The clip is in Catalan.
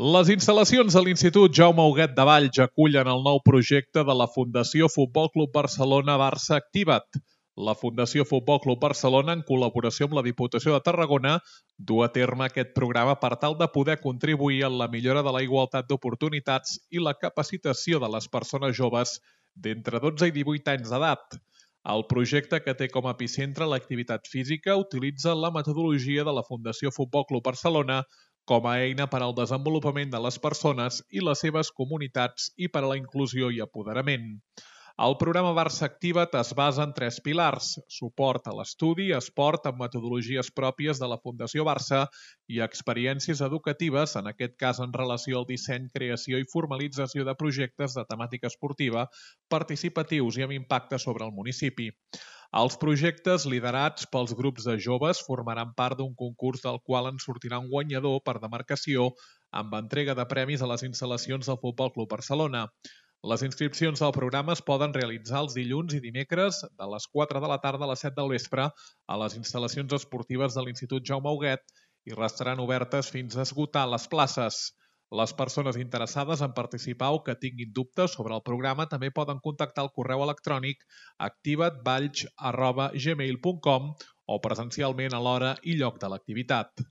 Les instal·lacions de l'Institut Jaume Huguet de Valls acullen el nou projecte de la Fundació Futbol Club Barcelona Barça Activa't. La Fundació Futbol Club Barcelona, en col·laboració amb la Diputació de Tarragona, du a terme aquest programa per tal de poder contribuir en la millora de la igualtat d'oportunitats i la capacitació de les persones joves d'entre 12 i 18 anys d'edat. El projecte, que té com a epicentre l'activitat física, utilitza la metodologia de la Fundació Futbol Club Barcelona com a eina per al desenvolupament de les persones i les seves comunitats i per a la inclusió i apoderament. El programa Barça Activa't es basa en 3 pilars: suport a l'estudi, esport amb metodologies pròpies de la Fundació Barça i experiències educatives, en aquest cas en relació al disseny, creació i formalització de projectes de temàtica esportiva, participatius i amb impacte sobre el municipi. Els projectes liderats pels grups de joves formaran part d'un concurs del qual en sortirà un guanyador per demarcació amb entrega de premis a les instal·lacions del Futbol Club Barcelona. Les inscripcions del programa es poden realitzar els dilluns i dimecres de les 4 de la tarda a les 7 del vespre a les instal·lacions esportives de l'Institut Jaume Huguet i restaran obertes fins a esgotar les places. Les persones interessades en participar o que tinguin dubtes sobre el programa també poden contactar al correu electrònic activatvalls@gmail.com o presencialment a l'hora i lloc de l'activitat.